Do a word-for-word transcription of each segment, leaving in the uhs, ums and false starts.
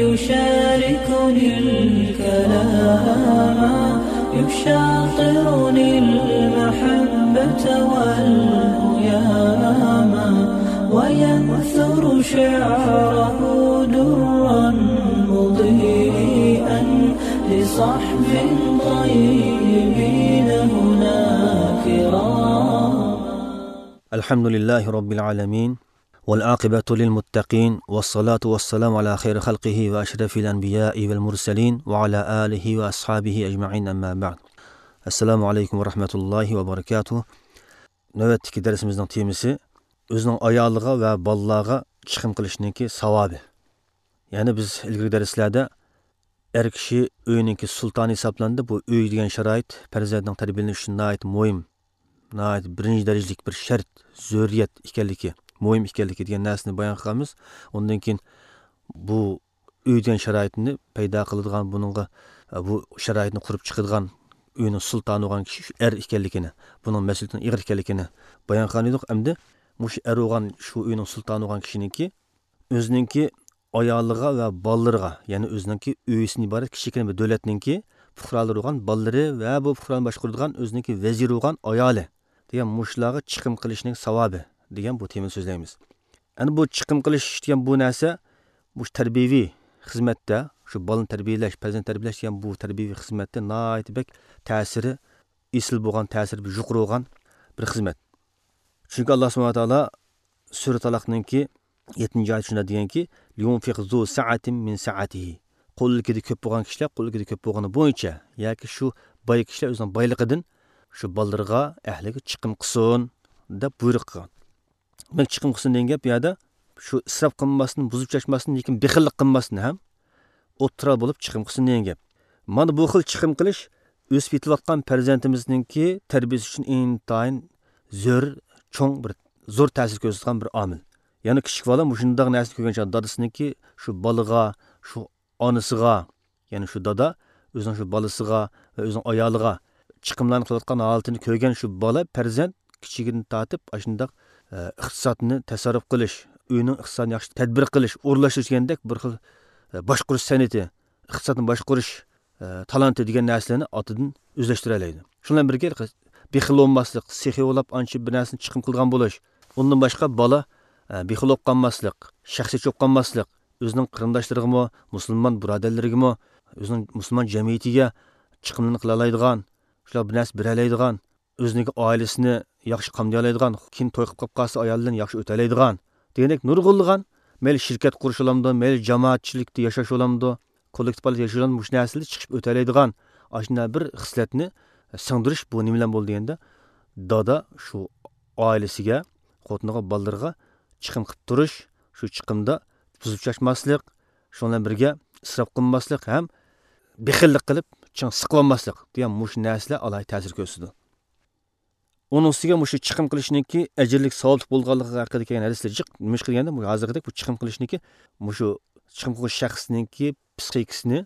يشاركني الكلام، يشاطرني المحبة والهيام، وينثر شعره درا مضيئا لصحب طيبين هنا كرام. الحمد لله رب العالمين، والعاقبة للمتقين، والصلاة والسلام على خير خلقه وأشرف الأنبياء والمرسلين، وعلى آله وأصحابه أجمعين، أما بعد. السلام عليكم ورحمة الله وبركاته. نۆۋەتتىكى دەرسىمىزنىڭ تېمىسى ئۆزىنىڭ ئايالىغا ۋە بالىلارغا چىقىم قىلىشنىڭكى ساۋابى. يەنى بىز ئىلگىرىكى دەرسلەردە ئەر كىشى ئۆينىڭكى سۇلتانى ھېسابلىنىدۇ. بۇ ئۆي دېگەن شارائىت پەرزەنتنىڭ تەربىيەلىنىشى ئۈچۈن ناھايىتى مۇھىم، ناھايىتى بىرىنچى دەرىجىلىك بىر شەرت، زۆرۈرىيەت ئىكەنلىكى، مۇھىم ئىكەنلىكى دېگەن نەرسىنى بايان قىلغانمىز. ئۇندىن كېيىن بۇ ئۆي دېگەن شارائىتنى پەيدا قىلىدىغان، بۇنىڭغا، بۇ شارائىتنى قۇرۇپ چىقىدىغان ئۆينىڭ سۇلتانى بولغان كىشى شۇ ئەر ئىكەنلىكىنى، بۇنىڭ مەسئۇلىيىتىنىڭ ئېغىر ئىكەنلىكىنى بايان قىلغان ئىدۇق. ئەمدى مۇشۇ ئەر بولغان، شۇ ئۆينىڭ سۇلتانى بولغان كىشىنىڭكى ئۆزىنىڭكى ئايالىغا ۋە بالىلىرىغا، يەنى ئۆزىنىڭكى ئۆيىسىدىن ئىبارەت كىچىككىنە بىر دۆلەتنىڭكى پۇقرالىرى بولغان بالىلىرى ۋە بۇ پۇقرانى باشقۇرىدىغان ئۆزىنىڭكى ۋەزىرى بولغان ئايالى دېگەن مۇشۇلارغا چىقىم قىلىشنىڭ ساۋابى دېگەن بۇ تېمىنى سۆزلەيمىز. ئەنە بۇ چىقىم قىلىش دېگەن بۇ نەرسە، مۇشۇ تەربىيەۋى خىزمەتتە، شۇ بالىنى تەربىيەلەش، پەرزەنت تەربىيەلەش دېگەن بۇ تەربىيەۋى خىزمەتتە ناھايىتى بەك تەسىرى ئېسىل بولغان، تەسىرى يۇقىرى بولغان بىر خىزمەت. چۈنكى ئاللا سۇبھانەھۇ ۋە تائالا سۈرە تالاقنىڭكى يەتتىنچى ئايىتى شۇنداق دېگەنكى، لينفق ذو سعة من سعته. قولىدىكىدە كۆپ بولغان كىشىلەر قولىدىكىدە كۆپ بولغىنى بويىچە ياكى شۇ باي كىشىلەر ئۆزىنىڭ بايلىقىدىن شۇ بالىلىرىغا، ئەھلىگە چىقىم قىلسۇن دەپ بۇيرۇق قىلغان. دېمەك، چىقىم قىلسۇن دېگەن گەپ بۇ يەردە شۇ ئىسراپ قىلماستىن، بۇزۇپ چاچماستىن، لېكىن بېخىللىق قىلماستىن ھەم ئوتتۇرا بولۇپ چىقىم قىلسۇن دېگەن گەپ. مانا بۇ خىل چىقىم قىلىش ئۆسۈپ يېتىلىۋاتقان پەرزەنتىمىزنىڭكى تەربىيەسى ئۈچۈن ئىنتايىن زۆر، چوڭ بىر، زور تەسىر كۆرسىتىدىغان بىر ئامىل. يەنى كىچىك بالا مۇشۇنداق نەرسىنى كۆرگەن چاغدا دادىسىنىڭكى شۇ بالىغا، شۇ ئانىسىغا، يەنى شۇ دادا ئۆزىنىڭ شۇ بالىسىغا ۋە ئۆزىنىڭ ئايالىغا چىقىملارنى قىلىۋاتقان ھالىتىنى كۆرگەن شۇ بالا پەرزەنت كىچىكىدىن تارتىپ ئاشۇنداق، ئە، ئىقتىسادنى تەسەررۇپ قىلىش، ئۆينىڭ ئىقتىسادىنى ياخشى تەدبىر قىلىش، ئورۇنلاشتۇرۇش دېگەندەك بىر خىل، ئە، باشقۇرۇش سەنئىتى، ئىقتىسادنى باشقۇرۇش، ئە، تالانتى دېگەن نەرسىلەرنى ئاتىدىن ئۆزلەشتۈرەلەيدۇ. شۇ بىلەن بىرگە بېخىل بولماسلىق، سېخىي بولاپ ئانچە بىر نەرسىنى چىقىم قىلىدىغان بولۇش. ئۇندىن باشقا بالا، ئە، بېخىل بولۇپ قالماسلىق، شەخسىيەتچى بولۇپ قالماسلىق، ئۆزىنىڭ قېرىنداشلىرىغىمۇ، مۇسۇلمان بۇرادەرلىرىگىمۇ، ئۆزىنىڭ مۇسۇلمان جەمئىيىتىگە چىقىملىرىنى قىلالايدىغان، شۇلار بىر نەرسە بېرەلەيدىغان، ئۆزىنىڭكى ئائىلىسىنى ياخشى قامدىيالايدىغان، كېيىن توي قىلىپ قاپ قالسا ئايالى بىلەن ياخشى ئۆتەلەيدىغان دېگەندەك نۇرغۇنلىغان، مەيلى شىركەت قۇرۇش بولامدۇ، مەيلى جامائەتچىلىكتە ياشاش بولامدۇ، كوللېكتىپ ھالەتتە ياشاش بولامدۇ، مۇشۇ نەرسىلەر چىقىپ ئۆتەلەيدىغان ئاشۇنداق بىر خىسلەتنى سىڭدۈرۈش بۇ نېمە بىلەن بولىدۇ دېگەندە، دادا شۇ ئائىلىسىگە، خوتۇنىغا، بالىلىرىغا چىقىم قىلىپ تۇرۇش، شۇ چىقىمدا بۇزۇپ چاچماسلىق، شۇنىڭ بىلەن بىرگە ئىسراپ قىلماسلىق ھەم بېخىللىق قىلىپ چىڭ سىقىۋالماسلىق دېگەن مۇشۇ نەرسىلەر ئالاھىدە تەسىر كۆرسىتىدۇ. ئۇنىڭ ئۈستىگە مۇشۇ چىقىم قىلىشنىڭكى ئەجىرلىك، ساۋابلىق بولغانلىقى ھەققىدە كەلگەن ھەدىسلەر جىق. نېمىشقا دېگەندە، مۇشۇ ھازىرقىدەك بۇ چىقىم قىلىشنىڭكى، مۇشۇ چىقىم قىلغۇچى شەخسنىڭكى پسىخىكىسىنى،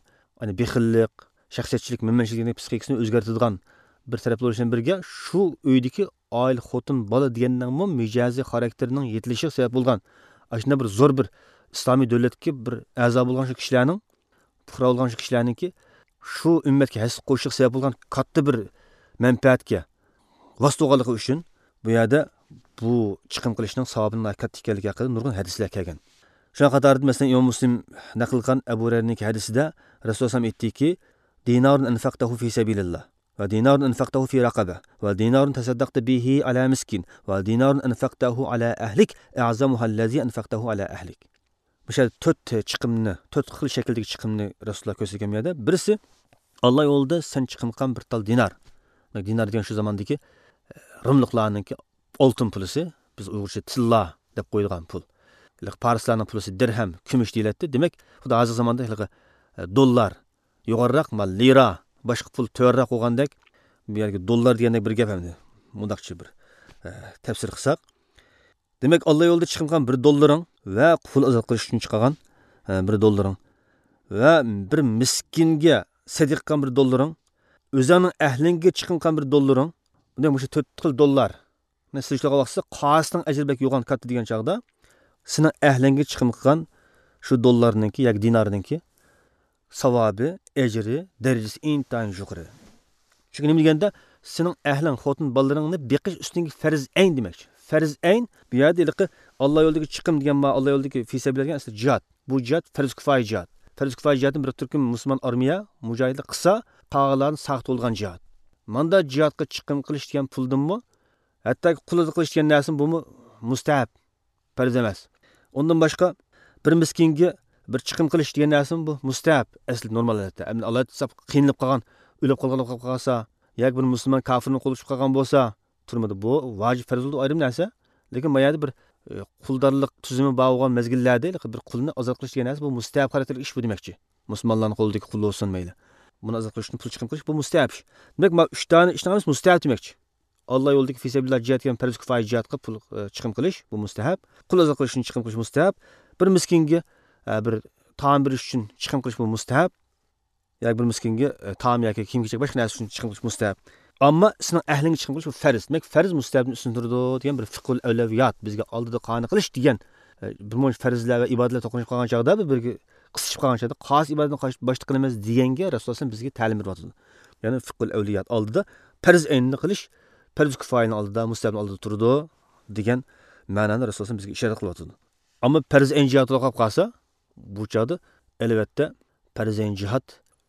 يەنى بېخىللىق، شەخسىيەتچىلىك، مەنمەنچىلىك دېگەن پسىخىكىسىنى ئۆزگەرتىدىغان بىر تەرەپ بولۇش بىلەن بىرگە، شۇ ئۆيدىكى ئائىلە، خوتۇن، بالا دېگەننىڭمۇ مىجەزى، خاراكتېرىنىڭ يېتىلىشىگە سەۋەب بولغان، ئاشۇنداق بىر زور بىر ئىسلامىي دۆلەتتىكى بىر ئەزا بولغان شۇ كىشىلەرنىڭ، پۇقرا بولغان شۇ كىشىلەرنىڭكى شۇ ئۈممەتكە ھەسسە قوشۇشىغا سەۋەب بولغان كاتتا بىر مەنپەئەتكە ۋاسىتە بولغانلىقى ئۈچۈن، بۇ يەردە بۇ چىقىم قىلىشنىڭ ساۋابىنىڭ ناھايىتى كاتتا ئىكەنلىكى ھەققىدە نۇرغۇن ھەدىسلەر كەلگەن. شۇنىڭ قاتارىدا، مەسىلەن، ئىمام مۇسلىم نەقىل قىلغان ئەبۇ ھۇرەيرىنىڭكى ھەدىسىدە رەسۇلۇللاھ ئەلەيھىسسالام ئېيتتىكى، دىنارٌ أنفقته في سبيل الله، ودينار أنفقته في رقبة، ودينار تصدقت به على مسكين، ودينار أنفقته على أهلك أعظمها الذي أنفقته على أهلك. مۇشۇ يەردە تۆت چىقىمنى، تۆت خىل شەكىلدىكى چىقىمنى رەسۇلۇللاھ كۆرسەتكەن بۇ يەردە. بىرسى، ئاللا يولىدا سەن چىقىم قىلغان بىر تال دىنار. دىنار دېگەن شۇ زاماندىكى، ئە، رۇملۇقلارنىڭكى ئالتۇن پۇلىسى، بىز ئۇيغۇرچە تىللا دەپ قويىدىغان پۇل. پارسلارنىڭ پۇلىسى دىرھەم، كۈمۈش دېيىلەتتى. دېمەك، خۇددى ھازىرقى زاماندا ھېلىقى، ئە، دوللار، يۇقىرىراق، ما، لىرا، باشقا پۇل تۆۋەنرەك بولغاندەك، بۇ يەرگە دوللار دېگەندەك بىر گەپ ئەمدى. مۇنداقچە بىر، ئە، تەپسىر قىلساق. دېمەك، ئاللا يولىدا چىقىم قىلغان بىر دوللىرىڭ ۋە قۇل ئازاد قىلىش ئۈچۈن چىقارغان، ئە، بىر دوللىرىڭ ۋە بىر مىسكىنگە سەدىقە قىلغان بىر دوللىرىڭ، ئۆزۈڭنىڭ ئەھلىڭگە چىقىم قىلغان بىر دوللىرىڭ، دېمەك، مۇشۇ تۆت خىل دوللار. مەن سېلىشتۇرغان ۋاقتىدا قايسىنىڭ ئەجرى بەك يوغان، كاتتا دېگەن چاغدا، سېنىڭ ئەھلىڭگە چىقىم قىلغان شۇ دوللارنىڭكى ياكى دىنارنىڭكى ساۋابى، ئەجرى، دەرىجىسى ئىنتايىن يۇقىرى. چۈنكى نېمە دېگەندە، سېنىڭ ئەھلىڭ، خوتۇن بالىلىرىڭنى بېقىش ئۈستۈڭگە پەرز ئەين دېمەكچى. پەرز ئەين، بۇ يەردە ھېلىقى ئاللا يولىدىكى چىقىم دېگەن، ما، ئاللا يولىدىكى فى سەبىلىللا دېگەن ئەسلى جىھاد. بۇ جىھاد پەرز كىفايە جىھاد. پەرز كىفايە جىھادنى بىر تۈركۈم مۇسۇلمان ئارمىيە، مۇجاھىدلار قىلسا، قالغانلارنى ساقىت بولىدىغان جىھاد. ماندا جىھادقا چىقىم قىلىش دېگەن پۇلدىنمۇ، ھەتتاكى قۇل ئازاد قىلىش دېگەن نەرسىمۇ، بۇمۇ مۇستەھەب. پەرز ئەمەس. ئۇندىن باشقا، بىر مىسكىنگە بىر چىقىم قىلىش دېگەن نەرسىمۇ بۇ مۇستەھەب. ئەسلى نورمال ھالەتتە. ئەمدى ئاللا تۇتسا قىينىلىپ قالغان، ئۆلۈپ قالغان بولۇپ قالسا، ياكى بىر مۇسۇلمان كاپىرنىڭ قولىغا چۈشۈپ قالغان بولسا، تۈرمىدە بۇ ۋاجىپ پەرز بولىدۇ، ئايرىم نەرسە. لېكىن ما يەردە بىر، ئە، قۇلدارلىق تۈزۈمى بار بولغان مەزگىللەردە ھېلىقى بىر قۇلنى ئازاد قىلىش دېگەن نەرسە بۇ مۇستەھەب خاراكتېرلىك ئىش بۇ دېمەكچى. مۇسۇلمانلارنىڭ قولىدىكى قۇل بولسۇن مەيلى. بۇنى ئازاد قىلىش ئۈچۈن پۇل چىقىم قىلىش بۇ مۇستەھەب ئىش. دېمەك، ما ئۈچ دانە ئىشنىڭ ھەممىسى مۇستەھەب دېمەكچى. ئاللا يولىدىكى فى سەبىلىللا جىھاد دېگەن پەرز كىفايە جىھادقا پۇل، ئە، چىقىم قىلىش، بۇ مۇستەھەب. قۇل ئازاد قىلىش ئۈچۈن چىقىم قىلىش مۇستەھەب. بىر مىسكىنگە، ئە، بىر تائام بېرىش ئۈچۈن چىقىم قىلىش، بۇ مۇستەھەب. ياكى بىر مىسكىنگە، ئە، تائام ياكى كىيىم-كېچەك، باشقا نەرسە ئۈچۈن چىقىم قىلىش مۇستەھەب. ئەمما سېنىڭ ئەھلىڭگە چىقىم قىلىش بۇ پەرز. دېمەك، پەرز مۇستەھەبتىن ئۈستۈن تۇرىدۇ دېگەن بىر فىقھۇل ئەۋلەۋىيات، بىزگە ئالدىدا قانى قىلىش دېگەن، ئە، بىر مۇنچە پەرزلەر ۋە ئىبادەتلەر توقۇنۇشۇپ قالغان چاغدا، بىر-بىرىگە قىستىشىپ قالغان چاغدا، قاسىي ئىبادەتنى قاش-، باشتا قىلىمىز دېگەنگە رەسۇلۇللا بىزگە تەلىم بېرىۋاتىدۇ. يەنى فىقھۇل ئەۋلىيات ئالدىدا پەرز ئەيننى قىلىش، پەرز كىفايەنىڭ ئالدىدا، مۇستەھەبنىڭ ئالدىدا تۇرىدۇ دېگەن مەنانى رەسۇلۇللا بىزگە ئىشارەت قىلىۋاتىدۇ. ئەمما پەرز ئەين جىھادى توختاپ قالسا، بۇ چاغدا، ئەلۋەتتە، پەرز ئەين جىھاد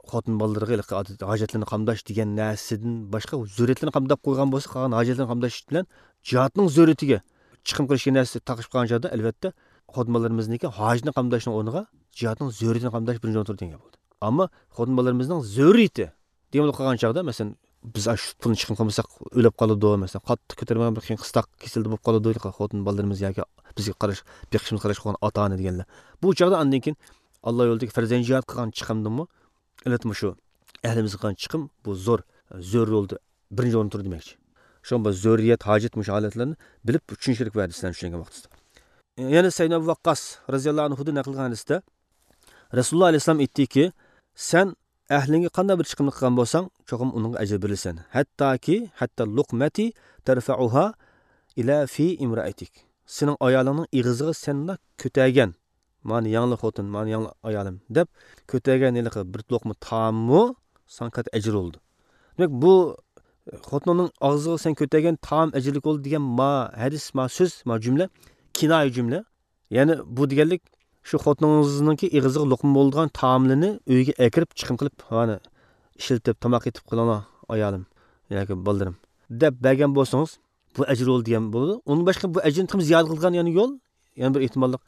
خوتۇن بالىلىرىغا ھېلىقى ئادەتتە ھاجەتلىرىنى قامداش دېگەن نەرسىدىن باشقا زۆرۈرىيەتلىرىنى قامداپ قويغان بولسا، قالغان ھاجەتلىرىنى قامداش بىلەن جىھادنىڭ زۆرۈرىيىتىگە چىقىم قىلىش دېگەن نەرسە تاقىشىپ قالغان چاغدا، ئەلۋەتتە، خوتۇن بالىلىرىمىزنىڭكى ھاجىتىنى قامداشنىڭ ئورنىغا جىھادنىڭ زۆرۈرىيىتىنى قامداش بىرىنچى ئورۇندا تۇرىدۇ دېگەن گەپ بولدى. ئەمما خوتۇن بالىلىرىمىزنىڭ زۆرۈرىيىتى دېگەن بولۇپ قالغان چاغدا، مەسىلەن، بىز ئاشۇ پۇلنى چىقىم قىلمىساق ئۆلۈپ قالىدۇ، مەسىلەن، قاتتىق كۆتۈرمىگەن بىر قىيىن قىستاق كېسەلدە بولۇپ قالىدۇ، خوتۇن بالىلىرىمىز ياكى بىزگە قاراش، بېقىشىمىزغا قاراشقا بولغان ئاتا-ئانا دېگەنلەر. بۇ چاغدا ئاندىن كېيىن ئاللا يولىدىكى پەرز ئەين جىھاد قىلغان چىقىمدىنمۇ، ئەلۋەتتە، مۇشۇ ئەھلىمىزگە قىلغان چىقىم بۇ زور، زۆرۈر رولدا بىرىنچى ئورۇندا تۇرىدۇ دېمەكچى. شۇڭا بۇ زۆرۈرىيەت، ھاجەت مۇشۇ ھالەتلەرنى بىلىپ چۈشىنىشكە كېرەك بۇ ھەدىسلەرنى چۈشەنگەن ۋاقتىدا. يەنە سەيدىنا ئەبۇ ۋەققاس رەزىياللاھۇ ئەنھۇدىن نەقىل قىلغان ھەدىستە، رەسۇلۇللا ئەلەيھىسسالام ئېيتتىكى، سەن ئەھلىڭگە قانداق بىر چىقىمنى قىلغان بولساڭ، چوقۇم ئۇنىڭغا ئەجىر بېرىلىسەن. ھەتتاكى، ھەتتە لۇقمەتى تەرفەئۇھا ئىلە فى ئىمرائەتىك. سېنىڭ ئايالىڭنىڭ ئېغىزىغا سەن كۆتەرگەن، مانا ياڭلا خوتۇن، مانا ياڭلا ئايالىم دەپ كۆتەرگەن ھېلىقى بىر لوقما تائاممۇ ساڭا كاتتا ئەجىر بولىدۇ. دېمەك، بۇ خوتۇنۇڭنىڭ ئاغزىغا سەن كۆتەرگەن تائام ئەجىرلىك بولىدۇ دېگەن ما ھەدىس، ما سۆز، ما جۈملە، كىنايە جۈملە. يەنى بۇ دېگەنلىك، شۇ خوتۇنىڭىزنىڭكى ئېغىزىغا لوقما بولىدىغان تائاملىرىنى ئۆيگە ئەكىرىپ، چىقىم قىلىپ، مانا، ئىشلىتىپ، تاماق ئېتىپ قىلىڭلار، ئايالىم ياكى بالىلىرىم، دەپ بەرگەن بولسىڭىز، بۇ ئەجىر بولىدۇ دېگەن بولىدۇ. ئۇندىن باشقا بۇ ئەجىرنى تېخىمۇ زىيادە قىلىدىغان يەنە يول، يەنە بىر ئېھتىماللىق.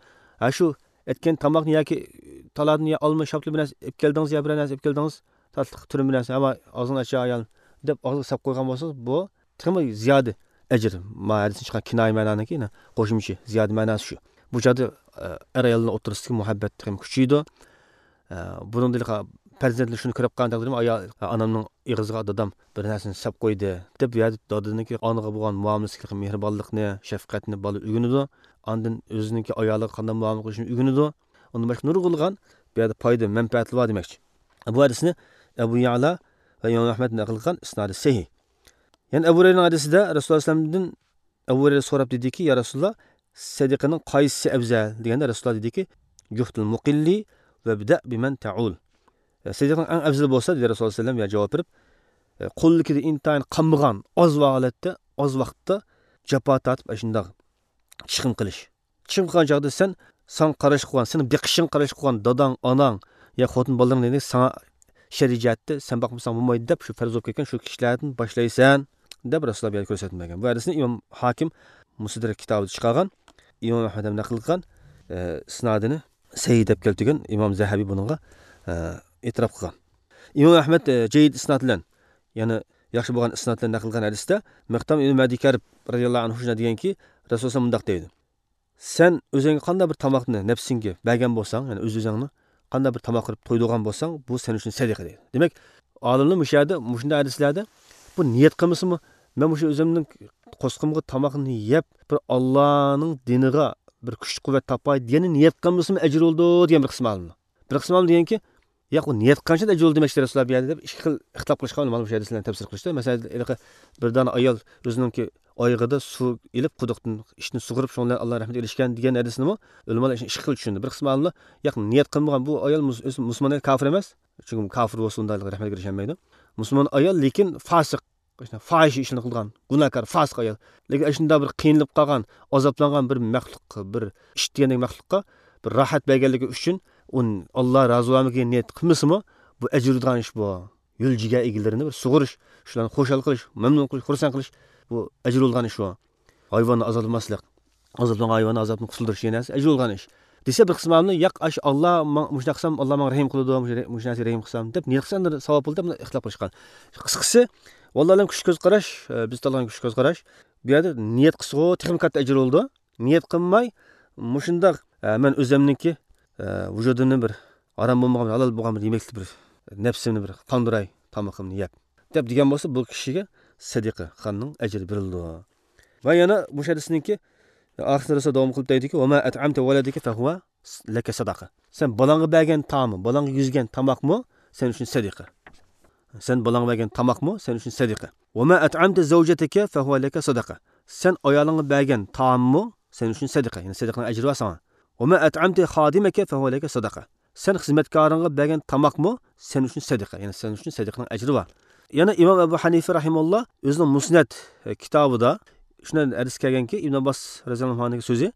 ھە، شۇ ئەتكەن تاماقنى ياكى تالادىن يا ئالما، شاپتۇل بىر نەرسە ئېلىپ كەلدىڭىز، يا بىرەر نەرسە ئېلىپ كەلدىڭىز، تاتلىق تۈرۈم بىر نەرسە، ھەمما ئاغزىڭنى ئاچ ئايال، دەپ ئاغزىغا ساپ قويغان بولسىڭىز، بۇ تېخىمۇ زىيادە ئەجىر. ما ھەدىستىن چىققان كىنايە مەنانىڭكى، يەنە قوشۇمچە زىيادە مەناسى شۇ. بۇ چاغدا، ئە، ئەر ئاياللار ئوتتۇرىسىدىكى مۇھەببەت تېخىمۇ كۈچىيىدۇ. ئە، بۇنىڭدىن پەرزەنتلەر شۇنى كۆرۈپ قالغان تەقدىردە، ئايال، ئانامنىڭ ئېغىزىغا دادام بىر نەرسىنى سەپ قويدى، دەپ، بۇ يەردە دادىنىڭكى ئانىغا بولغان مۇئامىلىسىدىكى مېھرىبانلىقنى، شەپقەتنى بالا ئۆگىنىدۇ. ئاندىن ئۆزىنىڭكى ئايالىغا قانداق مۇئامىلە قىلىشنى ئۆگىنىدۇ. ئۇندىن باشقا نۇرغۇنلىغان بۇ يەردە پايدا، مەنپەئەتلەر بار دېمەكچى. بۇ ھەدىسنى ئەبۇ يەئلا ۋە ئىمام ئەھمەد نەقىل قىلغان، ئىسنادى سەھىھ. يەنە ئەبۇ ھۇرەيرىنىڭ ھەدىسىدە رەسۇلۇللا ئەلەيھىسسالامدىن، ئەبۇ ھۇرەيرە سوراپ دېدىكى، يا رەسۇلۇللا، سەدىقىنىڭ قايسىسى ئەۋزەل؟ دېگەندە رەسۇلۇللا دېدىكى، جۇھدۇل مۇقىللى ۋەبدەئ بىمەن تەئۇل. سەدىقىنىڭ ئەڭ ئەۋزىلى بولسا، دېدى رەسۇلۇللا سەللەم، يا جاۋاب بېرىپ، قولىدىكىدە ئىنتايىن قالمىغان، ئاز ۋاقىتتا، ئاز ۋاقىتتا جاپا تارتىپ، ئاشۇنداق چىقىم قىلىش. چىقىم قىلغان چاغدا سەن، ساڭا قاراشقا بولغان، سېنىڭ بېقىشىڭغا قاراشقا بولغان داداڭ، ئاناڭ يا خوتۇن بالىلىرىڭ دېگەندەك ساڭا شەرئىي جەھەتتە سەن باقمىساڭ بولمايدۇ دەپ، شۇ پەرز بولۇپ كەتكەن شۇ كىشىلەردىن باشلايسەن، دەپ رەسۇلۇللا بۇ يەردە كۆرسەتمە بەرگەن. بۇ ھەدىسنى ئىمام ھاكىم مۇستەدرەك كىتابىدا چىقارغان، ئىمام ئەھمەد ھەم نەقىل قىلغان، ئە، ئىسنادىنى سەھىھ دەپ كەلتۈرگەن. ئىمام زەھەبى بۇنىڭغا، ئە، ئېتىراپ قىلغان. ئىمام ئەھمەد، ئە، جەيد ئىسناد بىلەن، يەنى ياخشى بولغان ئىسناد بىلەن نەقىل قىلغان ھەدىستە مىقدام ئىبن مەدى كەرب رەزىياللاھۇ ئەنھۇ شۇنداق دېگەنكى، رەسۇلۇللا مۇنداق دەيدۇ. سەن ئۆزۈڭگە قانداق بىر تاماقنى نەپسىڭگە بەرگەن بولساڭ، يەنى ئۆز-ئۆزۈڭنى قانداق بىر تاماق قىلىپ تويدۇرغان بولساڭ، بۇ سەن ئۈچۈن سەدىقە دەيدۇ. دېمەك، ئالىملار مۇشۇ يەردە، مۇشۇنداق ھەدىسلەردە، بۇ نىيەت قىلمىسىمۇ، مەن مۇشۇ ئۆزۈمنىڭ قورسىقىمغا تاماقنى يەپ، بىر ئاللانىڭ دىنىغا بىر كۈچ-قۇۋۋەت تاپاي دېگەننى نىيەت قىلمىسىمۇ ئەجىر بولىدۇ دېگەن بىر قىسىم ئالىملار. بىر قىسىم ئالىملار دېگەنكى، ياق، ئۇ نىيەت قىلغانچە ئەجىر بولىدۇ دېمەكچى رەسۇلۇللا بۇ يەردە دەپ ئىككى خىل ئىختىلاپ قىلىشقا، مانا مۇشۇ ھەدىسلەرنى تەپسىر قىلىشتا. مەسىلەن، ھېلىقى بىر دانە ئايال ئۆزىنىڭكى ئايىغىدا سۇ ئېلىپ، قۇدۇقتىن ئىچىنى سۇغۇرۇپ، شۇنىڭ بىلەن ئاللا رەھمىتىگە ئېرىشكەن دېگەن ھەدىسنىمۇ ئۆلىمالار ئىككى خىل چۈشەندى. بىر قىسىم ئالىملار، ياق، نىيەت قىلمىغان، بۇ ئايال مۇس-، ئۆزى مۇسۇلمان ئايال، كاپىر ئەمەس. چۈنكى كاپىر بولسا ئۇنداق رەھمەتكە ئېرىشەلمەيدۇ. مۇسۇلمان ئايال، لېكىن فاسىق، فاھىشە ئىشلارنى قىلىدىغان، گۇناھكار، فاسىق ئايال. لېكىن ئاشۇنداق بىر قىينىلىپ قالغان، ئازابلانغان بىر مەخلۇق، بىر ئىت دېگەندەك مەخلۇققا بىر راھەت بەرگەنلىكى ئۈچۈن ئۇ ئاللا رازى بولمىغان نىيەت قىلمىسىمۇ، بۇ ئەجىر بېرىدىغان ئىش بۇ. يول جىگەر ئىگىلىرىنى بىر سۇغۇرۇش، شۇلارنى خۇشال قىلىش، مەمنۇن قىلىش، خۇرسەن قىلىش، بۇ ئەجىر بولىدىغان ئىش بۇ. ھايۋاننى ئازابلىماسلىق، ئازابلانغان ھايۋاننى ئازابتىن قۇتۇلدۇرۇش دېگەن نەرسە ئەجىر بولىدىغان ئىش. دېسە بىر قىسىم ئالىملار، ياق، ئاش-، ئاللا ماڭ-، مۇشۇنداق قىلسام، ئاللا ماڭا رەھىم قىلىدۇ، مۇشۇ رە-، مۇشۇ نەرسىگە رەھىم قىلسام دەپ نىيەت قىلسا ئەمدى ساۋاب بولىدۇ دەپ ئىختىلاپ قىلىشقان. قىسقىسى، ۋاللاھۇ ئەلەم، كۈچ كۆز قاراش، ئە، بىز تاللىغان كۈچ كۆز قاراش. بۇ يەردە نىيەت قىلسىغۇ تېخىمۇ كاتتا ئەجىر بولىدۇ. نىيەت قىلماي، مۇشۇنداق، ئە، مەن ئۆزۈمنىڭكى، ئە، ۋۇجۇدۇمنى بىر ھارام بولمىغان، ھالال بولغان بىر يېمەكلىك، بىر نەپسىمنى بىر قاندۇراي، تامىقىمنى يەپ، دەپ دېگەن بولسا، بۇ كىشىگە سەدىقە، خاننىڭ ئەجرى بېرىلىدۇ. ۋە يەنە بۇ ھەدىسنىڭكى ئاخىرىدا داۋام قىلىپ دەيدىكى، «ۋە ما ئەتئەمتە ۋەلەدىكە فەھۇۋە لەكە سەدەقە.» سەن بالاڭغا بەرگەن تائامى، بالاڭغا يېگۈزگەن تاماقمۇ سەن ئۈچۈن سەدىقە. سەن بالاڭغا بەرگەن تاماقمۇ سەن ئۈچۈن سەدىقە. «ۋە ما ئەتئەمتە زەۋجەتەكە فەھۇۋە لەكە سەدەقە.» سەن ئايالىڭغا بەرگەن تائاممۇ سەن ئۈچۈن سەدىقە. يەنى سەدىقىنىڭ ئەجرى بار ساڭا. «ۋە ما ئەتئەمتە خادىمەكە فەھۇۋە لەكە سەدەقە.» سەن خىزمەتكارىڭغا بەرگەن تاماقمۇ سەن ئۈچۈن سەدىقە. يەنى سەن ئۈچۈن سەدىقىنىڭ ئەجرى بار. يەنە ئىمام ئەبۇ ھەنىفە رەھىمەھۇللا ئۆزىنىڭ مۇسنەد، ئە، كىتابىدا شۇنداق ھەدىس كەلگەنكى، ئىبن ئابباس رەزىياللاھۇ ئەنھۇنىڭ سۆزى،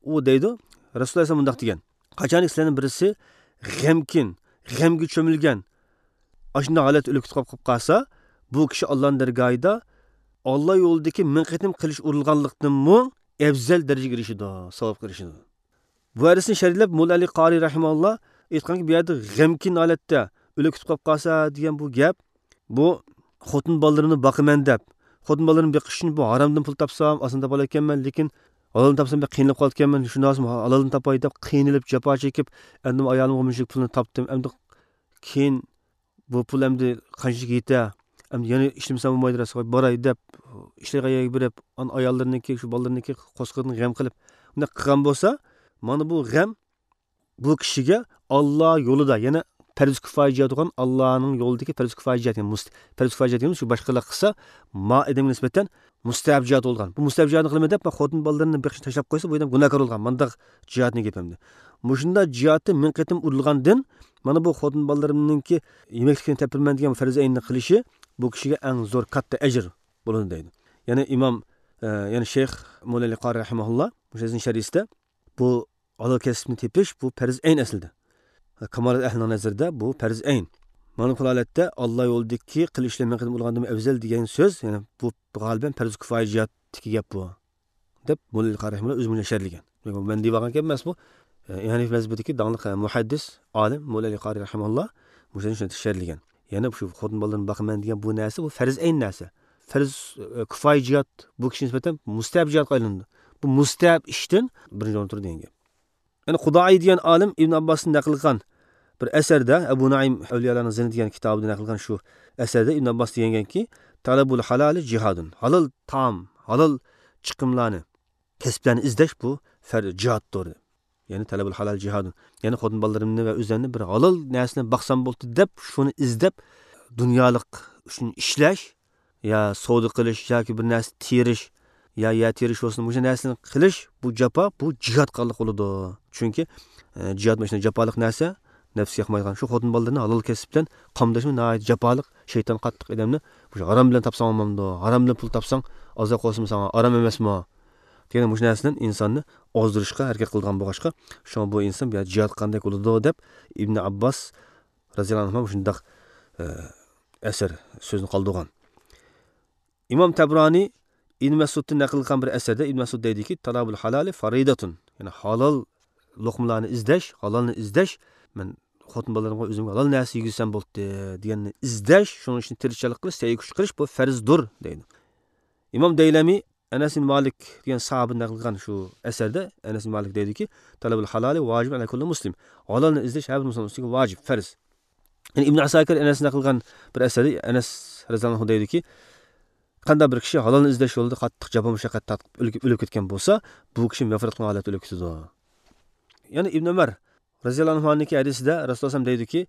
ئۇ دەيدۇ، رەسۇلۇللاھ ئەلەيھىسسالام مۇنداق دېگەن، قاچانكى سىلەرنىڭ بىرسى غەمكىن، غەمگە چۆمۈلگەن، ئاشۇنداق ھالەتتە ئۆلۈپ كېتىپ قالىپ قالسا، بۇ كىشى ئاللانىڭ دەرگاھىدا ئاللا يولىدىكى مىڭ قېتىم قىلىچ ئۇرۇلغانلىقتىنمۇ ئەۋزەل دەرىجىگە ئېرىشىدۇ، ساۋابقا ئېرىشىدۇ. بۇ ھەدىسنى شەرھلەپ، موللا ئەلى قارىي رەھىمەھۇللا ئېيتقانكى، بۇ يەردە غەمكىن ھالەتتە ئۆلۈپ كېتىپ قالىپ قالسا دېگەن بۇ گەپ، بۇ خوتۇن بالىلىرىمنى باقىمەن دەپ، خوتۇن بالىلىرىمنى بېقىش ئۈچۈن بۇ ھارامدىن پۇل تاپسام، ئاسان تاپالايكەنمەن، لېكىن ھالالدىن تاپسام بەك قىينىلىپ قالىدىكەنمەن، شۇنداق بولسا ھالالدىن تاپاي دەپ قىينىلىپ، جاپا چېكىپ، ئەمدى ئايالىمغا مۇشۇنچىلىك پۇلنى تاپتىم، ئەمدى كېيىن بۇ پۇل ئەمدى قانچىلىك يېتە، ئەمدى يەنە ئىشلىمىسەم بولمايدۇ، راستىغا باراي دەپ، ئىشلەيدىغان يەرگە بېرىپ، ئانا ئاياللىرىنىڭكى، شۇ بالىلىرىنىڭكى قورسىقىدىن غەم قىلىپ، بۇنداق قىلغان بولسا، مانا بۇ غەم بۇ كىشىگە ئاللا يولىدا، يەنە پەرز كۇپايە جىھاد بولغان، ئاللانىڭ يولىدىكى پەرز كۇپايە جىھاد، يەنى مۇست-، پەرز كۇپايە جىھاد دېگىنىمىز شۇ باشقىلار قىلسا، ما ئادەمگە نىسبەتەن مۇستەھەب جىھاد بولغان. بۇ مۇستەھەب جىھادنى قىلىمەن دەپ، خوتۇن بالىلىرىنى بېقىشنى تاشلاپ قويسا، بۇ ئادەم گۇناھكار بولغان. مانداق جىھادنى گېپىمدە. مۇشۇنداق جىھادتا مىڭ قېتىم ئۇرۇلغاندىن، مانا بۇ خوتۇن بالىلىرىمنىڭكى يېمەكلىكىنى تەپپىرمەن دېگەن پەرز ئەيننى قىلىشى بۇ كىشىگە ئەڭ زور كاتتا ئەجىر بولىدۇ دەيدۇ. يەنە ئىمام، ئە، يەنە شەيخ موللا ئەلى قارى رەھىمەھۇللا مۇشۇ ھەدىسنىڭ شەرھىسىدە بۇ ھالال كەسىپنى تېپىش بۇ پەرز ئەين ئەسلىدە. كامالات ئەھلىنىڭ نەزىرىدە بۇ پەرز ئەين. مانا بۇ ھالەتتە ئاللا يولىدىكى قىلىچ ئىشلار مىڭ قېتىم ئۇرۇلغاندىن ئەۋزەل دېگەن سۆز، يەنى بۇ غالىبەن پەرز كۇپايە جىھادتىكى گەپ بۇ، دەپ موللا ئەلى قارى رەھىمەھۇللا ئۆزى مۇشۇنداق شەرھلىگەن. مەن دېيىۋالغان گەپ ئەمەس بۇ. ئە، ھەنىفىي مەزھىپىدىكى داڭلىق، ئە، مۇھەددىس، ئالىم موللا ئەلى قارى رەھىمەھۇللا مۇشۇنى شۇنداق شەرھلىگەن. يەنە شۇ خوتۇن بالىلىرىنى باقىمەن دېگەن بۇ نەرسە، بۇ پەرز ئەين نەرسە. پەرز، ئە، كۇپايە جىھاد بۇ كىشىنىڭ نىسبەتەن مۇستەھەب جىھادقا ئايلىنىدۇ. بۇ مۇستەھەب ئىشتىن بىرىنچى ئورۇندا تۇرىدۇ دېگەن گەپ. يەنى قۇدائىي دېگەن ئالىم ئىبن ئابباستىن نەقىل قىلغان بىر ئەسەردە، ئەبۇ نۇئەيم ئەۋلىيالارنىڭ زىنى دېگەن كىتابىدا نەقىل قىلغان شۇ ئەسەردە ئىبن ئابباس دېگەنكى، «تەلەبۇل ھالالى جىھادۇن.» ھالال تائام، ھالال چىقىملارنى، كەسىپلەرنى ئىزدەش بۇ پەر-، جىھادتۇر. يەنى تەلەبۇل ھالال جىھادۇن. يەنى خوتۇن بالىلىرىمنى ۋە ئۆزۈمنى بىر ھالال نەرسىنى باقسام بولدى دەپ، شۇنى ئىزدەپ، دۇنيالىق ئۈچۈن ئىشلەش، يا سودا قىلىش ياكى بىر نەرسە تېرىش، يا يەر تېرىش بولسۇن، مۇشۇ نەرسىلەرنى قىلىش، بۇ جاپا، بۇ جىھاد قىلغانلىق بولىدۇ. چۈنكى، ئە، جىھاد مۇشۇنداق جاپالىق نەرسە، نەپسكە ياقمايدىغان. شۇ خوتۇن بالىلىرىنى ھالال كەسىپ بىلەن قامداشمۇ ناھايىتى جاپالىق، شەيتان قاتتىق ئادەمنى، مۇشۇ ھارام بىلەن تاپساڭ بولمامدۇ؟ ھارام بىلەن پۇل تاپساڭ، ئازراق بولسىمۇ ساڭا ئارام ئەمەسمۇ؟ دېگەن مۇشۇ نەرسىدىن ئىنساننى ئازدۇرۇشقا ھەرىكەت قىلىدىغان بولغاچقا، شۇڭا بۇ ئىنسان بۇ يەردە جىھاد قىلغاندەك بولىدۇ دەپ ئىبنى ئابباس رەزىياللاھۇ ئەنھۇ مۇشۇنداق، ئە، ئەسەر سۆزىنى قالدۇرغان. ئىمام تەبرانى ئىبن مەسئۇدتىن نەقىل قىلغان بىر ئەسەردە ئىبن مەسئۇد دەيدۇكى، «تەلەبۇل ھالالى فەرىدەتۇن.» يەنى ھالال لوقمىلارنى ئىزدەش، ھالالنى ئىزدەش، مەن خوتۇن بالىلىرىمغا ئۆزۈمگە ھالال نەرسە يېگۈزسەم بولدى دېگەننى ئىزدەش، شۇنىڭ ئۈچۈن تىرىشچانلىق قىلىش، سەي-كۈچ قىلىش، بۇ پەرزدۇر دەيدۇ. ئىمام دەيلەمى ئەنەس ئىبن مالىك دېگەن ساھابىدىن نەقىل قىلغان شۇ ئەسەردە ئەنەس ئىبن مالىك دەيدۇكى، «تەلەبۇل ھالالى ۋاجىبۇن ئەلا كۇللى مۇسلىم.» ھالالنى ئىزدەش ھەر بىر مۇسۇلمان ئۈستىگە ۋاجىپ، پەرز. يەنى ئىبن ئەساكىر ئەنەستىن نەقىل قىلغان بىر ئەسەردە ئەنەس رەزىياللاھۇ ئەنھۇ دەيدۇكى، قانداق بىر كىشى ھالالنى ئىزدەش يولىدا قاتتىق جاپا مۇشەققەت تارتىپ ئۆلۈپ، ئۆلۈپ كەتكەن بولسا، بۇ كىشى مەغپىرەت قىلغان ھالەتتە ئۆلۈپ كېتىدۇ. يەنى ئىبن ئۆمەر رەزىياللاھۇ ئەنھۇنىڭكى ھەدىسىدە رەسۇلۇللاھ دەيدۇكى،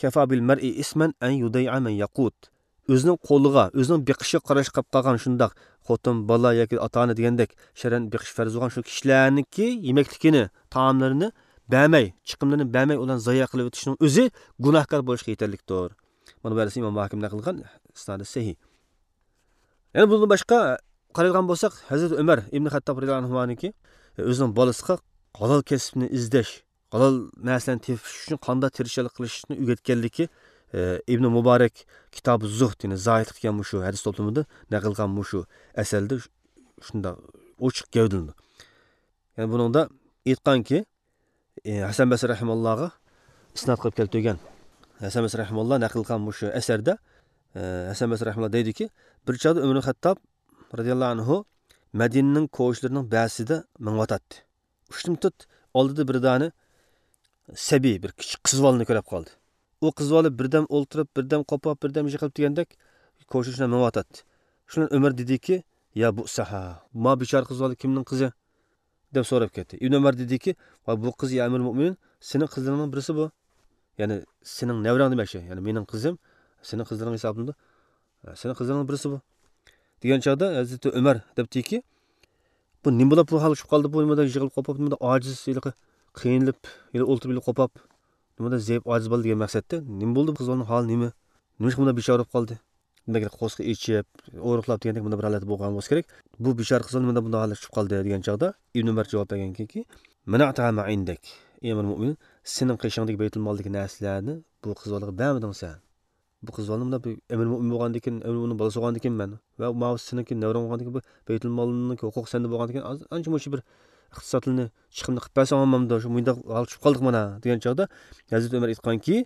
«كەفا بىل مەرئى ئىسمەن ئەن يۇدەيئە مەن يەقۇت.» ئۆزىنىڭ قولىغا، ئۆزىنىڭ بېقىشىغا قاراشقا قاپقالغان شۇنداق خوتۇن، بالا ياكى ئاتا-ئانا دېگەندەك شەرئەن بېقىش پەرز بولغان شۇ كىشىلەرنىڭكى يېمەكلىكىنى، تائاملىرىنى بەرمەي، چىقىملىرىنى بەرمەي، ئۇلارنى زايە قىلىۋېتىشنىڭ ئۆزى گۇناھكار بولۇشقا يېتەرلىكتۇر. مانا بۇ ھەدىسنى ئىمام ھاكىم نەقىل قىلغان، ئىسنادى سەھىھ. يەنە بۇندىن باشقا قارايدىغان بولساق، ھەزرىتى ئۆمەر ئىبنى خەتتاب رەزىياللاھۇ ئەنھۇنىڭكى ئۆزىنىڭ بالىسىغا ھالال كەسىپنى ئىزدەش، ھالال نەرسىلەرنى تېپىش ئۈچۈن قانداق تىرىشچانلىق قىلىشنى ئۆگەتكەنلىكى، ئى، ئىبنى مۇبارەك كىتابى زۇھد، يەنى زاھىدلىق دېگەن مۇشۇ ھەدىس توپلىمىدا نەقىل قىلغان مۇشۇ ئەسەردە شۇنداق ئوچۇق گەۋدىلىنىدۇ. يەنى بۇنىڭدا ئېيتقانكى، ئى، ھەسەن بەسرى رەھىمەھۇللاغا ئىسناد قىلىپ كەلتۈرگەن، ھەسەن بەسرى رەھىمەھۇللا نەقىل قىلغان مۇشۇ ئەسەردە، ئى، ھەسەن بەسرى رەھىمەھۇللا دەيدۇكى، بىر چاغدا ئۆمەر خەتتاب رەزىياللاھۇ ئەنھۇ مەدىنىنىڭ كوچىلىرىنىڭ بەزىسىدە مېڭىۋاتاتتى. ئۇشتۇمتۇت ئالدىدا بىر دانە سەبىي، بىر كىچىك قىز بالىنى كۆرۈپ قالدى. ئۇ قىز بالا بىردەم ئولتۇرۇپ، بىردەم قوپاپ، بىردەم يىغلاپ دېگەندەك كوچىدا شۇنداق مېڭىۋاتاتتى. شۇندىن ئۆمەر دېدىكى، يا بۇئسەھا، ما بىچارە قىز بالا كىمنىڭ قىزى؟ دەپ سوراپ كەتتى. ئىبن ئۆمەر دېدىكى، ۋاي بۇ قىز، يا ئەمىرۇل مۆمىنىن، سېنىڭ قىزلىرىڭنىڭ بىرسى بۇ. يەنى سېنىڭ نەۋرەڭ دېمەكچى. يەنى مېنىڭ قىزىم سېنىڭ قىزلىرىڭ ھېسابلىنىدۇ. سېنىڭ قىزلىرىڭنىڭ بىرسى بۇ. دېگەن چاغدا ھەزرىتى ئۆمەر دەپتىكى، بۇ نېمە بولۇپ بۇ ھالغا چۈشۈپ قالدى؟ بۇ نېمىدە يىغىلىپ قوپاپ، نېمىدە ئاجىز، ھېلىقى قىينىلىپ، ھېلى ئولتۇرۇپ، ھېلى قوپاپ، نېمىدە زەئىپ، ئاجىز بالا دېگەن مەقسەتتە. نېمە بولدى بۇ قىز بالىنىڭ ھالى نېمە؟ نېمىشقا بۇنداق بىچارە بولۇپ قالدى؟ دېمەك، قورسىقى ئېچىپ، ئورۇقلاپ دېگەندەك مۇنداق بىر ھالەتتە بولغان بولسا كېرەك. بۇ بىچارە قىز بالا نېمىدە بۇنداق ھالەتكە چۈشۈپ قالدى دېگەن چاغدا ئىبن ئۆمەر جاۋاب بەرگەنكى، مەنەئتۇھا ما ئىندەك. ئەي ئەمىرۇل مۆمىنىن، سېنىڭ قېشىڭدىكى بەيتۇل مالدىكى نەرسىلەرنى بۇ قىز بالىغا بەرمىدىڭ سەن. بۇ قىز بالىنى مۇنداق بىر ئەمىر مۆمىن بولغاندىكىن، ئەمىر مۆمىننىڭ بالىسى بولغاندىكىن مەن ۋە ماۋۇ سېنىڭكى نەۋرەڭ بولغاندىكىن، بۇ بەيتۇل مالنىڭكى ھوقۇقى سەندە بولغاندىكىن، ئاز-، ئانچە مۇنچە بىر ئىقتىسادلىنى، چىقىمنى قىلىپ بەرسەڭ بولمامدۇ؟ شۇ مۇنداق ھالغا چۈشۈپ قالدۇق مانا، دېگەن چاغدا ھەزرىتى ئۆمەر ئېيتقانكى،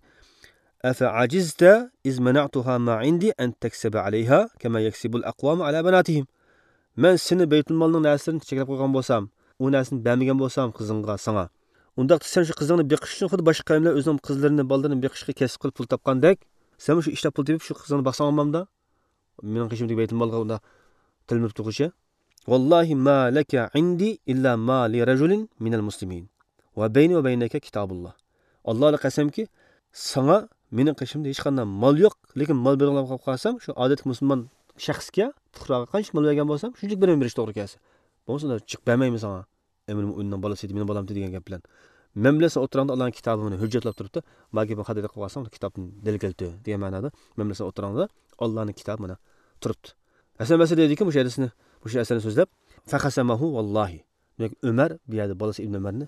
ئەفە ئاجىزتە ئىز مەنەئتۇھا ما ئىندى ئەن تەكسەبە ئەلەيھا كەما يەكسىبۇل ئەقۋامۇ ئەلا بەناتىھىم. مەن سېنى بەيتۇل مالنىڭ نەرسىلىرىنى چەكلەپ قويغان بولسام، ئۇ نەرسىنى بەرمىگەن بولسام قىزىڭغا، ساڭا، ئۇنداقتا سەن شۇ قىزىڭنى بېقىش ئۈچۈن خۇددى باشقا قەۋملەر ئۆزىنىڭ قىزلىرىنى، بالىلىرىنى بېقىشقا كەسىپ قىلىپ پۇل تاپقاندەك، سەنمۇ شۇ ئىشلەپ پۇل تېپىپ شۇ قىزىڭنى باقساڭ بولمامدا؟ مېنىڭ قېشىمدىكى بەيتۇل مالغا ئۇنداق تىلمۇرۇپ تۇرغۇچە. ۋاللاھى ما لەكە ئىندى ئىللا ما لىرەجۇلىن مىنەل مۇسلىمىن ۋە بەينى ۋە بەينەكە كىتابۇللا. ئاللاغا قەسەمكى، ساڭا مېنىڭ قېشىمدا ھېچقانداق مال يوق، لېكىن مال بېرىڭلار قالسام، شۇ ئادەتتىكى مۇسۇلمان شەخسكە، پۇقراغا قانچىلىك مال بەرگەن بولسام، شۇنچىلىك بېرىمەن بېرىش توغرا كەلسە. بولمىسا ئۇنداق جىق بەرمەيمەن ساڭا. ئەمىر مۆمىننىڭ بالىسى ئىدى، مېنىڭ بالامتى دېگەن گەپ بىلەن. مەن بىلەن سەن ئوتتۇراڭدا ئاللانىڭ كىتابى مانا ھۆججەتلەپ تۇرۇپتۇ. ماگىر بۇ خاتا قىلىپ قالساڭ، كىتابتىن دەلىل كەلتۈر دېگەن مەنادا، مەن بىلەن سەن ئوتتۇراڭدا ئاللانىڭ كىتابى مانا تۇرۇپتۇ. ھەسەن بەسرى دەيدىكى، مۇشۇ ھەدىسنى، مۇشۇ ئەسەرنى سۆزلەپ، فەخەسەمەھۇ ۋاللاھى. دېمەك، ئۆمەر بۇ يەردە بالىسى ئىبن ئۆمەرنى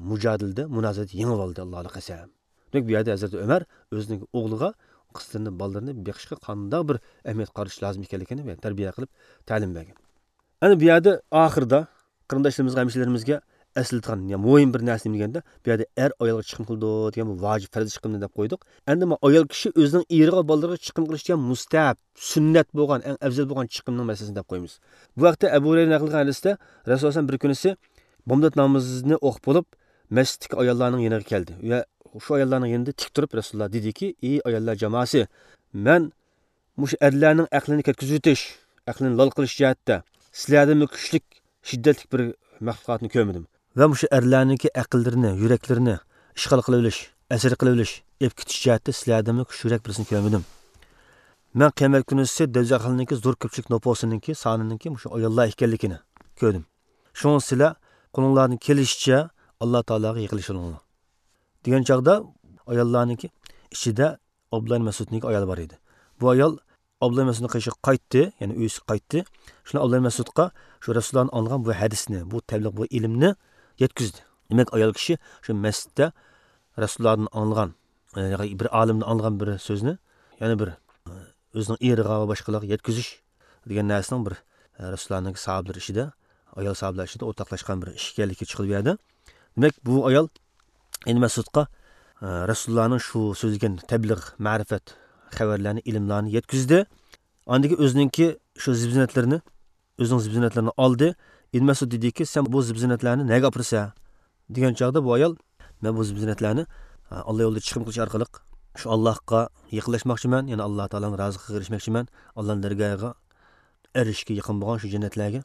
مۇجادىلىدە، مۇنازىرىدە يېڭىۋالدى، ئاللاغا قەسەم. دېمەك، بۇ يەردە ھەزرىتى ئۆمەر ئۆزىنىڭ ئوغلىغا قىزلىرىنى، بالىلىرىنى بېقىشقا قانداق بىر ئەھمىيەت قارىتىش لازىم ئىكەنلىكىنى تەربىيە قىلىپ تەلىم بەرگەن. ئەنە بۇ يەردە ئاخىرىدا قېرىنداشلىرىمىزغا، ھەمشىرىلىرىمىزگە ئەسلىتىدىغان يا مۇھىم بىر نەرسە نېمە دېگەندە، بۇ يەردە ئەر ئايالغا چىقىم قىلىدۇ دېگەن بۇ ۋاجىپ پەرز چىقىمنى دەپ قويدۇق. ئەمدى مانا ئايال كىشى ئۆزىنىڭ ئېرىغا، بالىلىرىغا چىقىم قىلىش دېگەن مۇستەھەپ، سۈننەت بولغان، ئەڭ ئەۋزەل بولغان چىقىمنىڭ مەسىلىسىنى دەپ قويىمىز. بۇ ھەقتە ئەبۇ ھۇرەيرە نەقىل قىلغان ھەدىستە رەسۇلۇللاھ بىر كۈنىسى بامدات نامىزىنى ئوقۇپ بولۇپ، مەسچىتتىكى ئاياللارنىڭ يېنىغا كەلدى ۋە شۇ ئاياللارنىڭ يېنىدا تىك تۇرۇپ رەسۇلۇللاھ دېدىكى، ئى ئاياللار جاماسى، مەن مۇشۇ ئەرلەرنىڭ ئەقلىنى كەتكۈزۈۋېتىش، ئەقلىنى لال قىلىش جەھەتتە سىلەردىنمۇ كۈچلۈك، شىددەتلىك بىر مەخلۇقاتنى كۆرمىدىم. ۋە مۇشۇ ئەرلەرنىڭكى ئەقىللىرىنى، يۈرەكلىرىنى ئىشغال قىلىۋېلىش، ئەسىر قىلىۋېلىش، ئېلىپ كېتىش جەھەتتە سىلەردىنمۇ كۈچلۈكرەك بىرسىنى كۆرمىدىم. مەن قىيامەت كۈنىسى دوزاخلىقنىڭكى زور كۆپچىلىك نوپۇسىنىڭكى سانىنىڭكى مۇشۇ ئاياللار ئىكەنلىكىنى كۆردۈم. شۇڭا سىلەر قولۇڭلاردىن كېلىشىچە ئاللا تائالاغا يېقىنلىشىۋېلىڭلار. دېگەن چاغدا ئاياللارنىڭكى ئىچىدە ئابدۇللا ئىبن مەسئۇدنىڭكى ئايالى بار ئىدى. بۇ ئايال ئابدۇللا ئىبن مەسئۇدنىڭ قېشىغا قايتتى، يەنى ئۆيىسىگە قايتتى. شۇنداق ئابدۇللا ئىبن مەسئۇدقا شۇ رەسۇلۇللادىن ئاڭلىغان بۇ ھەدىسنى، بۇ تەبلىغ، بۇ ئىلىمنى يەتكۈزدى. دېمەك، ئايال كىشى شۇ مەسچىتتە رەسۇلۇللادىن ئاڭلىغان، يەنى بىر ئالىمدىن ئاڭلىغان بىر سۆزنى يەنە بىر ئۆزىنىڭ ئېرىغا ۋە باشقىلارغا يەتكۈزۈش دېگەن نەرسىنىڭ بىر، ئە، رەسۇلۇللانىڭكى ساھابىلىرى ئىچىدە، ئايال ساھابىلار ئىچىدە ئورتاقلاشقان بىر ئىش ئىكەنلىكى چىقىدۇ بۇ يەردە. دېمەك، بۇ ئايال ئىبن مەسئۇدقا، ئە، رەسۇلۇللانىڭ شۇ سۆزلىگەن تەبلىغ، مەرىپەت، خەۋەرلەرنى، ئىلىملارنى يەتكۈزدى. ئاندىن كېيىن ئۆزىنىڭكى شۇ زىبزىننەتلىرىنى، ئۆزىنىڭ زىبزىننەتلىرىنى ئالدى. ئىبن مەسئۇد دېدىكى، سەن بۇ زىبزىننەتلەرنى نەگە ئاپىرىسەن؟ دېگەن چاغدا بۇ ئايال، مەن بۇ زىبزىننەتلەرنى، ئا، ئاللا يولىدا چىقىم قىلىش ئارقىلىق شۇ ئاللاھقا يېقىنلاشماقچىمەن، يەنى ئاللا تائالانىڭ رازىلىقىغا ئېرىشمەكچىمەن، ئاللانىڭ دەرگاھىغا ئېرىشىشكە يېقىن بولغان شۇ جەننەتلەرگە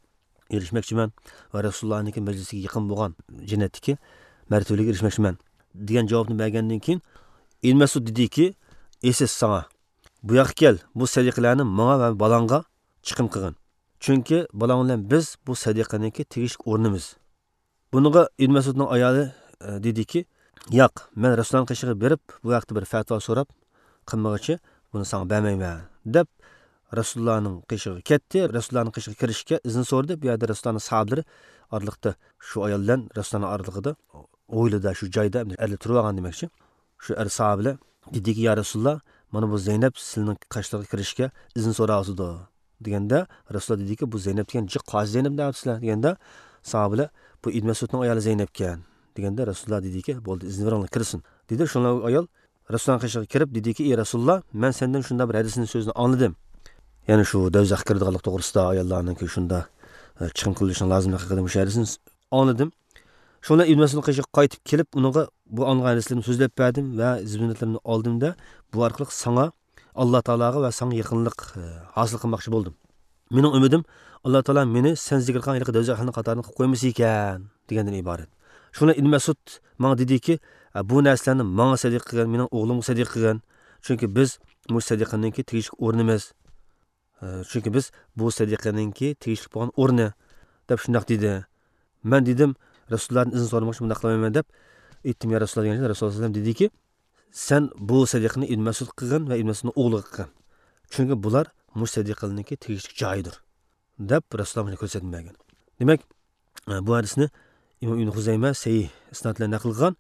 ئېرىشمەكچىمەن ۋە رەسۇلۇللانىڭكى مەجلىسىگە يېقىن بولغان جەننەتتىكى مەرتىۋىلىككە ئېرىشمەكچىمەن، دېگەن جاۋابنى بەرگەندىن كېيىن، ئىبن مەسئۇد دېدىكى، ئېسىل ساڭا، بۇ ياققا كەل، بۇ سەدىقىلەرنى ماڭا ۋە بالاڭغا چىقىم قىلغىن. چۈنكى بالاڭ بىلەن بىز بۇ سەدىقىنىڭكى تېگىشلىك ئورنىمىز. بۇنىڭغا ئىبن مەسئۇدنىڭ ئايالى، ئە، دېدىكى، ياق، مەن رەسۇلۇللانىڭ قېشىغا بېرىپ، بۇ ھەقتە بىر پەتىۋا سوراپ قىلمىغۇچە بۇنى ساڭا بەرمەيمەن، دەپ رەسۇلۇللانىڭ قېشىغا كەتتى. رەسۇلۇللانىڭ قېشىغا كىرىشكە ئىزىن سورىدى. بۇ يەردە رەسۇلۇللانىڭ ساھابىلىرى ئارىلىقتا شۇ ئايال بىلەن رەسۇلۇللانىڭ ئارىلىقىدا ھويلىدا، شۇ جايدا ئەرلەر تۇرۇۋالغان دېمەكچى. شۇ ئەر ساھابىلەر دېدىكى، يا رەسۇلۇللا، مانا بۇ زەينەپ سىلىنىڭ قاشلىرىغا كىرىشكە ئىزىن سوراۋاتىدۇ، دېگەندە، رەسۇلۇللا دېدىكى، بۇ زەينەپ دېگەن جىق قازى زەينەپ دەۋاتىسىلەر، دېگەندە، ساھابىلەر، بۇ ئىبن مەسئۇدنىڭ ئايالى زەينەپكەن، دېگەندە، رەسۇلۇللا دېدىكى، بولدى، ئىزىن بېرىڭلار، كىرسۇن، دېدى. شۇڭلار ئۇ ئايال رەسۇلۇللانىڭ قېشىغا كىرىپ دېدىكى، ئى رەسۇلۇللا، مەن سەندىن شۇنداق بىر ھەدىسنى، سۆزنى ئاڭلىدىم. يەنى شۇ دوزاخقا كىرىدىغانلىق توغرىسىدا ئاياللارنىڭكى شۇنداق، ئە، چىقىم قىلىشنىڭ لازىملىقى ھەققىدە مۇشۇ ھەدىسنى ئاڭلىدىم. شۇڭا ئىبن مەسئۇدنىڭ قېشىغا قايتىپ كېلىپ، ئۇنىڭغا بۇ ئاڭلىغان ھەدىسلىرىمنى سۆزلەپ بەردىم ۋە زىننەتلىرىمنى ئالدىم-دە، بۇ ئارقىلىق ساڭا ئاللا تائالاغا ۋە ساڭا يېقىنلىق، ئە، ھاسىل قىلماقچى بولدۇم. مېنىڭ ئۈمىدىم، ئاللا تائالا مېنى سەن زىكىر قىلغان ھېلىقى دوزاخ ئەھلىنىڭ قاتارىدىن قىلىپ قويمىسا ئىكەن، دېگەندىن ئىبارەت. شۇڭا ئىبن مەسئۇد ماڭا دېدىكى، ئە، بۇ نەرسىلەرنى ماڭا سەدىقە قىلغىن، مېنىڭ ئوغلۇمغا سەدىقە قىلغىن. چۈنكى بىز مۇشۇ سەدىقىنىڭكى تېگىشلىك ئورنىمىز. ئە، چۈنكى بىز بۇ سەدىقىنىڭكى تېگىشلىك بولغان ئورنى، دەپ شۇنداق دېدى. مەن دېدىم، رەسۇلۇللادىن ئىزىن سورىماقچى، بۇنداق قىلمايمەن دەپ ئېيتتىم، يا رەسۇلۇللا، دېگەن. رەسۇلۇللا سەللەللاھۇ ئەلەيھى ۋەسەللەم دېدىكى، سەن بۇ سەدىقىنى ئىبن مەسئۇدقا قىلغىن ۋە ئىبن مەسئۇدنىڭ ئوغلىغا قىلغىن. چۈنكى بۇلار مۇشۇ سەدىقىنىڭكى تېگىشلىك جايىدۇر، دەپ رەسۇلۇللا ماڭا كۆرسەتمە بەرگەن. دېمەك، ئە، بۇ ھەدىسنى ئىمام ئىبن خۇزەيمە سەھىھ ئىسناد بىلەن نەقىل قىلغان.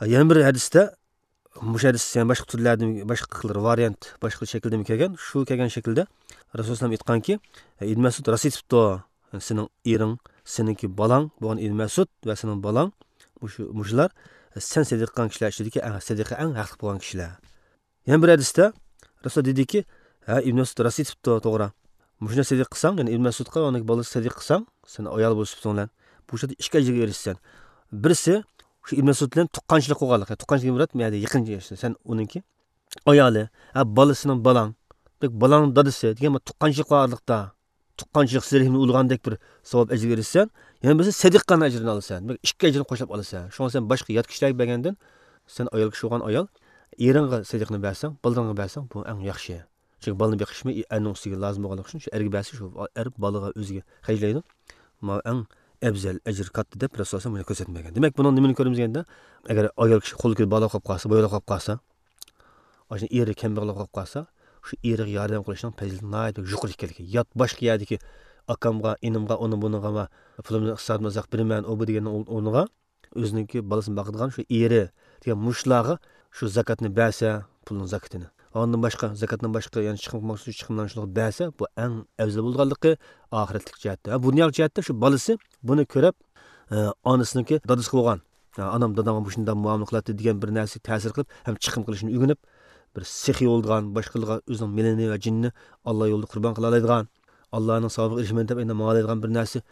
ھە، يەنە بىر ھەدىستە مۇشۇ ھەدىس يەنە باشقا تۈرلەردىن، باشقا خىل ۋارىيانت، باشقا شەكىلدىمۇ كەلگەن. شۇ كەلگەن شەكىلدە رەسۇلۇللا ئېيتقانكى، ئىبن مەسئۇد راست ئېيتىپتۇ، سېنىڭ ئېرىڭ، سېنىڭكى بالاڭ بولغان ئىبن مەسئۇد ۋە سېنىڭ بالاڭ، مۇشۇ، مۇشۇلار سەن سەدىقە قىلغان كىشىلەر ئىچىدىكى ئەڭ سەدىقە، ئەڭ ھەقلىق بولغان كىشىلەر. يەنە بىر ھەدىستە رەسۇلۇللا دېدىكى، ھە، ئىبن مەسئۇد راست ئېيتىپتۇ، توغرا. مۇشۇنى سەدىقە قىلساڭ، يەنى ئىبن مەسئۇدقا ۋە ئۇنىڭ بالىسىغا سەدىقە قىلساڭ، سەن ئايال بولۇش سۈپىتىڭ بىلەن بۇ ئىشتا ئىككى ئەجىرگە ئېرىشىسەن. بىرسى، شۇ ئىبن مەسئۇد بىلەن تۇغقانچىلىق قىلغانلىق. تۇغقانچىلىق دېگەن مۇراد، بۇ يەردە يېقىن، سەن ئۇنىڭكى ئايالى، ھە، بالىسىنىڭ بالاڭ، دېمەك، بالانىڭ دادىسى دېگەن بىر تۇغقانچىلىق بار ئارىلىقتا. تۇغقانچىلىق سىلى رەھىمنى ئۇلىغاندەك بىر ساۋاب ئەجىرگە ئېرىشىسەن. يەنە بىرسى سەدىقىنىڭ ئەجرىنى ئالىسەن. دېمەك، ئىككى ئەجرىنى قوشلاپ ئالىسەن. شۇڭا سەن باشقا يات كىشىلەرگە بەرگەندىن، سەن ئايال كىشى بولغان ئايال، ئېرىڭغا سەدىقىنى بەرسەڭ، بالىلىرىڭغا بەرسەڭ، بۇ ئەڭ ياخشى. چۈنكى بالىنى بېقىشمۇ ئەرنىڭ ئۈستىگە لازىم بولغانلىقى ئۈچۈن، شۇ ئەرگە بەرسە، شۇ ئەر بالىغا ئۆزىگە خەجلەيدۇ. ماۋۇ ئەڭ ئەۋزەل، ئەجرى كاتتا دەپ رەسۇلۇللا بۇنى كۆرسەتمىگەن. دېمەك، بۇنىڭ نېمىنى كۆرىمىز دېگەندە، ئەگەر ئايال كىشى قولىدىكى بالا قېلىپ قالسا، باياۋ قېلىپ قالسا، ئاشۇ ئېرى كەمبەغەل بولۇپ قالسا، شۇ ئېرىگە ياردەم قىلىشنىڭ پەزىلىتى ناھايىتى يۇقىرى ئىكەنلىكى. يات باشقا يەردىكى ئاكامغا، ئىنىمغا، ئۇنى بۇنىغا ۋە پۇلۇمنى ئىقتىسادىمنى ئۇزاق بېرىمەن، ئۇ بۇ دېگەننىڭ ئورنىغا ئۆزىنىڭكى بالىسىنى باقىدىغان شۇ ئېرى دېگەن مۇشۇلارغا شۇ زاكاتنى بەرسە، پۇلنىڭ زاكىتىنى. ئاندىن باشقا، زاكاتتىن باشقا يەنە چىقىم قىلماقچى چىقىملارنى شۇلارغا بەرسە، بۇ ئەڭ ئەۋزەل بولىدىغانلىقى ئاخىرەتلىك جەھەتتە. ھە، بۇ دۇنيالىق جەھەتتە شۇ بالىسى بۇنى كۆرۈپ، ئە، ئانىسىنىڭكى دادىسى بولغان، ئە، ئانام، دادامغا مۇشۇنداق مۇئامىلە قىلاتتى دېگەن بىر نەرسىگە تەسىر قىلىپ، ھەم چىقىم قىلىشنى ئۆگىنىپ، بىر سېخىي بولىدىغان، باشقىلارغا ئۆزىنىڭ مېلىنى ۋە جېنىنى ئاللا يولىدا قۇربان قىلالايدىغان، ئاللانىڭ ساۋابىغا ئېرىشىمەن دەپ ئەندى ماڭالايدىغان بىر نەرسە،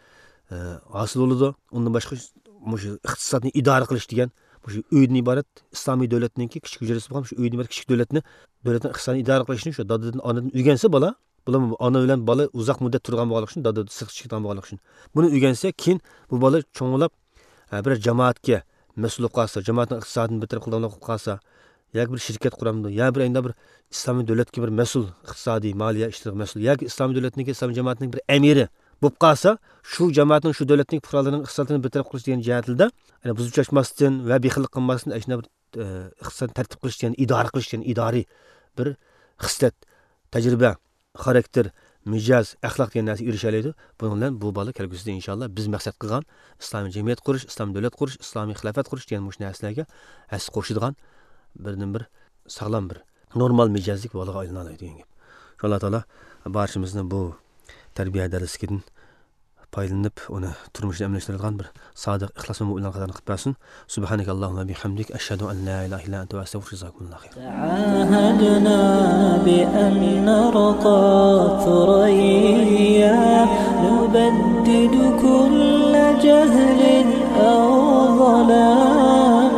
ئە، ھاسىل بولىدۇ. ئۇندىن باشقا مۇشۇ ئىقتىسادنى ئىدارە قىلىش دېگەن، مۇشۇ ئۆيدىن ئىبارەت ئىسلامىي دۆلەتنىڭكى كىچىك ھۈجرىسى بولغان شۇ ئۆيدىن ئىبارەت كىچىك دۆلەتنى، دۆلەتنىڭ ئىقتىسادىنى ئىدارە قىلىشنى شۇ دادىدىن، ئانىدىن ئۆگەنسە بالا، بۇلار ئانا بىلەن بالا ئۇزاق مۇددەت تۇرىدىغان بولغانلىقى ئۈچۈن، دادىدىن سىرتقا چىقىدىغان بولغانلىقى ئۈچۈن. بۇنى ئۆگەنسە، كېيىن بۇ بالا چوڭلاپ، ھە، بىر جامائەتكە مەسئۇل بولۇپ قالسا، جامائەتنىڭ ئىقتىسادىنى بىر تەرەپ قىلىدىغان بولۇپ قالسا، ياكى بىر شىركەت قۇرامدۇ، يا بىر ئەينىدە بىر ئىسلامىي دۆلەتكە بىر مەسئۇل، ئىقتىسادىي، مالىيە ئىشلىرىغا مەسئۇل، ياكى ئىسلامىي دۆلەتنىڭكى، ئىسلامىي جامائەتنىڭ بىر ئەمىرى بولۇپ قالسا، شۇ جامائەتنىڭ، شۇ دۆلەتنىڭ پۇقرالىرىنىڭ ئىقتىسادىنى بىر تەرەپ قىلىش دېگەن جەھەتلىدە، يەنى بۇزۇپ چاچماستىن ۋە بېخىللىق قىلماستىن، ئاشۇنداق بىر، ئە، ئىقتىسادنى تەرتىپ قىلىش دېگەن، ئىدارە قىلىش دېگەن ئىدارىي بىر خىسلەت، تەجرىبە، خاراكتېر، مىجەز، ئەخلاق دېگەن نەرسىگە ئېرىشەلەيدۇ. بۇنىڭ بىلەن بۇ بالا كەلگۈسىدە ئىنشاللا بىز مەقسەت قىلغان ئىسلامىي جەمئىيەت قۇرۇش، ئىسلامىي دۆلەت قۇرۇش، ئىسلامىي خىلاپەت قۇرۇش دېگەن مۇشۇ نەرسىلەرگە ھەسسە قوشىدىغان بىردىنبىر ساغلام بىر نورمال مىجەزلىك بالىغا ئايلىنالايدۇ دېگەن گەپ. شۇ ئاللا تائالا بارچىمىزنى بۇ تەربىيە دەرسلىكىدىن پايدىلىنىپ، ئۇنى تۇرمۇشتا ئەمەلىيلەشتۈرىدىغان بىر سادىق، ئىخلاس مۆمىن مۆمىنلەرنىڭ قاتارىدا قىلىپ بەرسۇن. سبحانك اللهم وبحمدك، أشهد أن لا إله إلا أنت، أستغفرك، جزاكم الله خيرا. تعاهدنا بأن نرقى ثريا، نبدد كل جهل أو ظلام.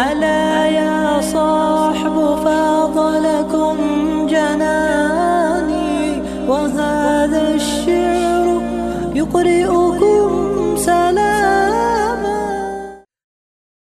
ألا يا صاحب، فاض لكم جناني، وهذا الشعر يقرئكم